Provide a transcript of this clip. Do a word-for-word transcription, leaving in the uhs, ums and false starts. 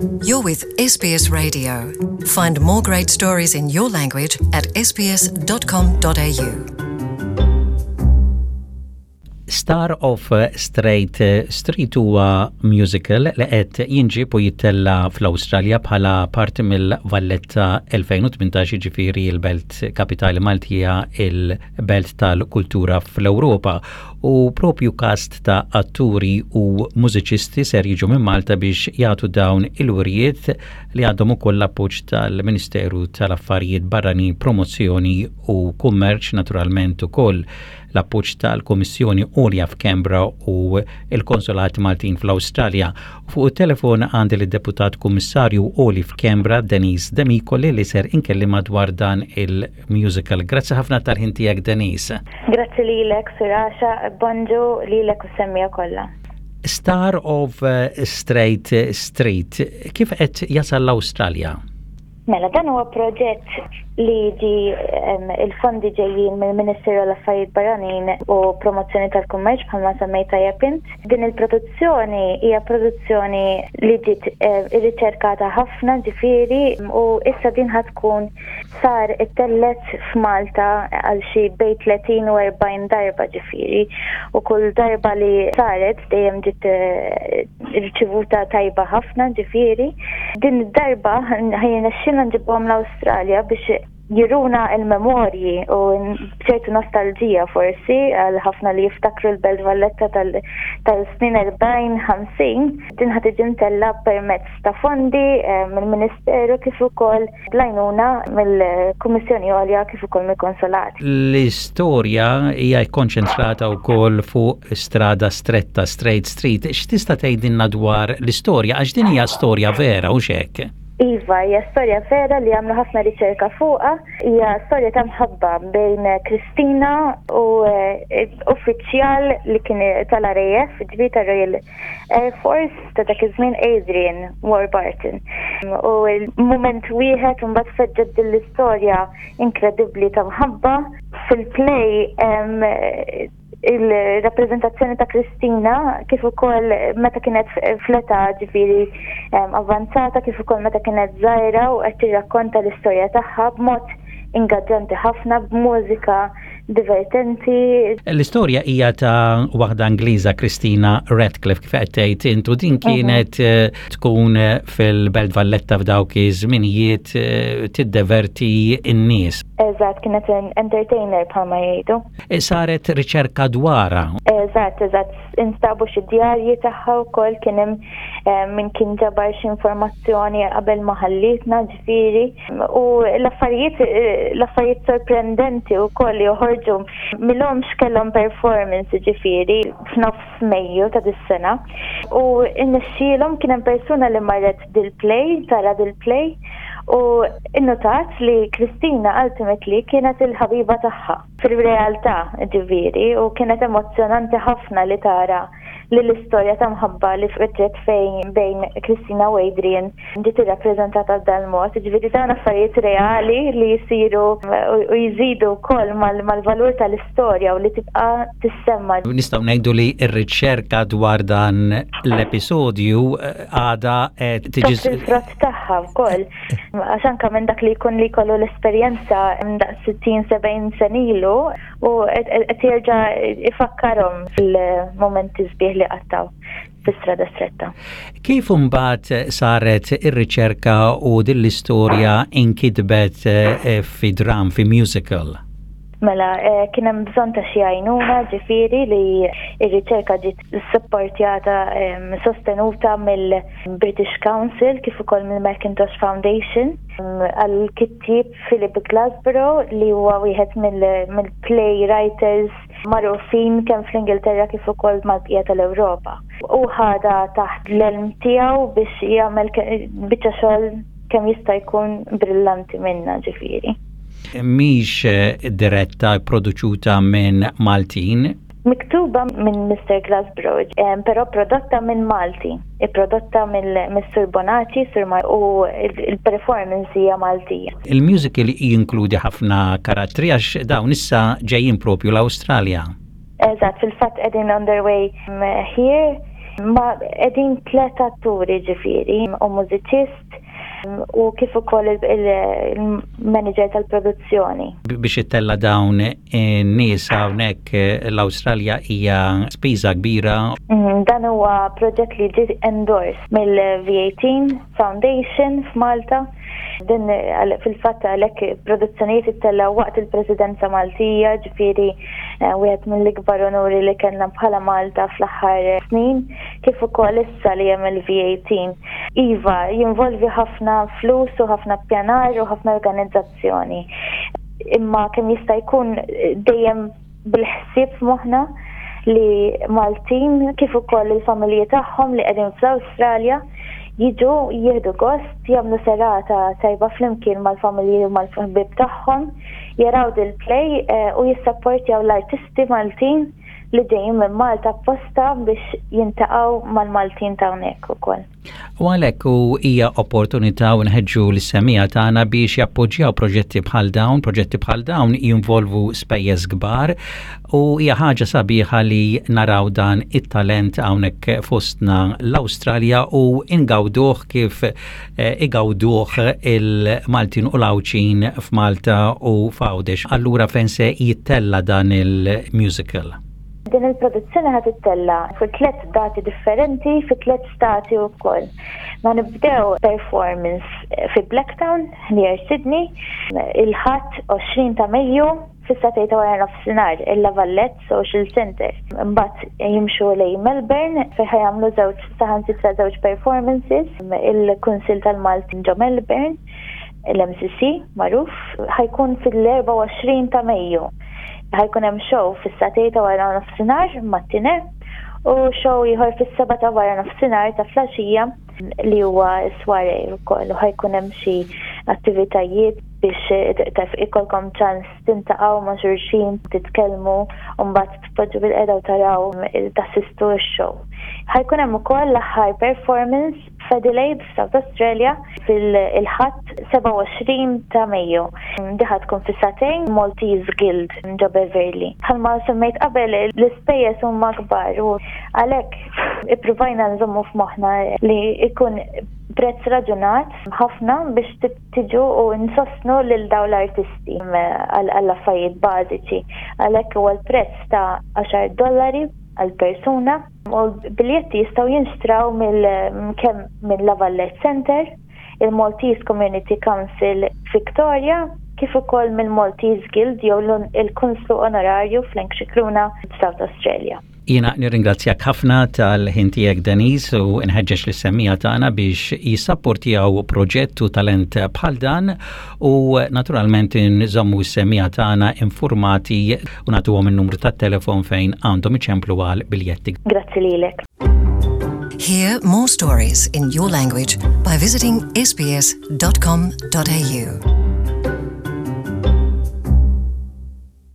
You're with S B S Radio. Find more great stories in your language at S B S dot com dot A U. Star of Straight Street huwa musical li qed jinġib u jittella fl-Awstralja bħala parti mill-Valletta elfejn u tmintax, ġifieri l-belt kapitali Maltija, il-belt tal-kultura fl-Ewropa, u propju kast ta' atturi u mużiċisti ser jiġu minn Malta biex jagħtu dawn il-wirijiet li għandhom ukoll l-appoġġ tal-Ministeru tal-Affarijiet Barranin, Promozzjoni u Kummerċ, naturalment ukoll l-appoġġ tal-Kummissjoni Għolja f'Canberra u il-Konsolat Maltin fl-Awstralja. Fuq il-telefon għandi l-Deputat Kummissarju Għoli f'Canberra, Denise Demicoli, li ser inkellima dwar dan il-musical. Grazzi ħafna tal-ħin tiegħek, Denise. Grazzi lilek, Suraxa, bonġu lilek u semmiegħa kollha. Star of Straight Street, kif qed jasal l-Awstralja? Mela, dan huwa proġett li ġi il-fondi ġejjin mill-Ministeru l-Affarijiet Barranin u Promozzjoni tal-Kummerċ, bħalma semmejt tajjeb int. Din il-produzzjoni hija produzzjoni li ġiet irriċerkata ħafna, ġifieri, u issa din ħa tkun sar ittellgħet f'Malta għal xi bejn tletin u erbgħin darba, ġifieri, u kull darba li saret dejjem ġiet riċevuta tajba ħafna. Ġifieri din id-darba ħa jirnexxilna nġibuhom l-Awstralja biex juruna il-memorji u ċertu nostalġija forsi għal ħafna li jiftakru l-Belt Valletta tal-snin erbgħin ħamsin. Din ħa tiġi mtella permezz ta' fondi eh, mill-Ministeru kif ukoll bl-għajnuna mill-Kummissjoni Għolja kif ukoll mill-Konsolat. L-istorja hija kkonċentrata wkoll fuq strada stretta, Straight Street. X'tista' tgħidilna dwar l-istorja, għax din hija storja vera, u hekk? Iva, hija storja vera li għamlu ħafna riċerka fuqha. Hija storja ta' mħabba bejn Kristina u eh, uffiċjal li kien tal-R A F, ġifieri ta' Royal Air Force ta' dak iż-żmien, Adrian Warburton. U il-moment wieħed mbagħad feġġet din l-istorja inkredibbli ta' mħabba. Fil-play il-rappreżentazzjoni ta' Kristina, kif ukoll meta kienet fl-età, ġifieri, avanzata, kif ukoll meta kienet żgħira, u qed tirrakkonta l-istorja tagħha b'mod ingaġġanti ħafna, b'mużika divertenti. L-istorja hija ta' waħda Ingliża, Kristina Radcliffe, kif qed tgħid intu, din mhm. kienet eh, tkun fil-Belt Valletta f'dawk iż-żminijiet eh, tiddeverti n-nies. Eżatt, kienet entertainer bħalma jgħidu. E saret riċerka dwarha. Eżatt, eżatt, instabu xi djarji tagħha wkoll, kien hemm eh, min kien ġabar xi informazzjoni qabel ma ħallitna, ġifieri. U l-affarijiet l-affarijiet sorprendenti wkoll li joħorġu millhom kellhom performance, ġifieri, f'nofs Mejju ta' dis-sena. U innexxielhom, kien hemm persuna li marret dil-play, tara dil-play, u innotat li Kristina ultimately kienet il-ħabiba tagħha fil-realtà, ġifieri, u kienet emozjonanti ħafna li tara li l-istorja ta' mħabba li feġġet fejn bejn Kristina u Adrian ġiet irrappreżentata b'dan mod. Ġifieri dawn affarijiet reali li jisiru u jżidu wkoll mal-valur tal-istorja u li tibqa' tissemma. Nistgħu ngħidu li r-riċerka dwar dan l-episodju eh, għada tiġi il-frott tagħha wkoll. Għax anke minn dak li jkun li jkollu l-esperjenza daqs sittin sebgħin sena ilu u qed jerġa' ifakkarhom fil-momenti sbieħ li qattaw fi-Strada Stretta. Kif imbagħad saret ir-riċerka u din l-istorja inkitbet eh, fi dram, fi musical? Mela, eh, kien hemm bżonn ta' xi għajnuna, ġifieri li r-riċerka ġiet supportjata, sostenuta mill-British Council kif ukoll mill-Macintosh Foundation għal-kittieb Philip Glassborough, li huwa wieħed mill-play writers magħrufin kemm fl-Ingilterra kif ukoll mal-bqija tal-Ewropa. U ħadha taħt l-elm tiegħu biex jagħmel biċċa xogħol kemm jista' jkun brillanti minna, ġifieri. Mhix eh, diretta, produċuta minn Maltin? Miktuba minn Mister Glassborough, però prodotta minn Malti, prodotta mill-Sur Bonacci, Sur Mar, u il-performance hija Maltija. Il-musical jinkludi ħafna karattri, għax dawn issa ġejjin propju l-Awstralja. Eżatt, fil-fatt qegħdin on their way here. Ma qegħdin tliet atturi, ġifieri, u mużiċist u kif ukoll il-manager tal-produzzjoni. Biex ittella dawn in-nies hawnhekk l-Awstralja hija spiża kbira. Mhm, dan huwa proġett li ġie endorsed mill-V eighteen Foundation f'Malta. Din fil-fatt għalhekk produzzjonijiet ittella waqt il-Presidenza Maltija, ġifieri eh, wieħed mill-ikbar onuri li kellna bħala Malta fl-aħħar snin, kif ukoll issa li hemm il-V eighteen. Iva, jinvolvi ħafna flus u ħafna pjanar u ħafna organizzazzjoni. Imma kemm jista' jkun dejjem bil-ħsieb f'moħħna li Maltin kif ukoll il-familji tagħhom li qegħdin fl-Awstralja jiġu jieħdu gost, jagħmlu serata tajba flimkien mal-familji u mal-ħbieb tagħhom, jaraw dil-play eh, u jissapportjaw l-artisti Maltin li ġejjin minn Malta apposta biex jiltaqgħu mal-Maltin ta' hawnhekk ukoll. U għalhekk u hija opportunità u nħeġġu lis-semmiegħa tagħna biex jappoġġjaw proġetti bħal dawn. Proġetti bħal dawn jinvolvu spejjeż kbar u hija ħaġa sabiħa li naraw dan it-talent hawnhekk fostna l-Awstralja u ingawduh kif eh, igawduh il-Maltin u l-Għawdxin f'Malta u f'Għawdex. Allura, fejn se jittella dan il-musical? Din il-produzzjoni ħa tittella fi tliet dati differenti fi tliet stati wkoll. Ma nibdew performance fi Blacktown, near Sydney, il-Ħadd għoxrin ta' Mejju fis-sagħtejn ta' wara nofsinhar, il-La Valette Social Center. Imbagħad jimxu lejn Melbourne fejn ħa jagħmlu żewġ, saħansitra żewġ performances, il-Kunsill tal-Maltin ġo Melbourne, l-M C C magħruf, ħa jkun fil-erbgħa u għoxrin ta' Mejju. Ħa jkun hemm show fis-sagħtejn ta' wara nofsinhar matinee u show ieħor fis-sebgħa ta' wara nofsinhar ta' filgħaxija li huwa soiree wkoll, u ħa jkun hemm xi attivitajiet biex taf ikollkom ċans tiltaqgħu ma' xulxin, titkellmu u mbagħad tpoġġu bilqiegħda u taraw, tassistu x-show. Ħa jkun hemm ukoll l-aħħar performance f'Adelaide, South Australia, fil-Ħadd sebgħa u għoxrin ta' Mejju. Din ħa tkun fis-sagħtejn, Maltese Guild ġo Beverly. Bħalma semmejt qabel, l-ispejjeż huma kbar u għalhekk ippruvajna nżommu f'moħħna li ikun prezz raġunat ħafna biex tiġu u nsostnu lil dawn l-artisti għall-affarijiet bażiċi. Għalhekk huwa l-prezz ta' għaxar dollari għal persuna u l-biljetti jistgħu jinxtraw mill kemm minn La Valette Center, il-Maltese Community Council Victoria, kif ukoll mill-Maltese Guild jew il-Kunslu Onorarju Frank Scicluna, South Australia. Jiena nirringrazzjak ħafna tal-ħin tiegħek, Denise, u nħeġġeġ lis-semmiegħa tagħna biex jissapportjaw proġett u talent bħal dan u naturalment nżommu s-semmiegħa tagħna informati u nagħtuhom in-numru tat-telefon fejn għandhom iċemplu għal biljetti. Grazzi lilek. Hear more stories in your language by visiting S B S dot com dot A U.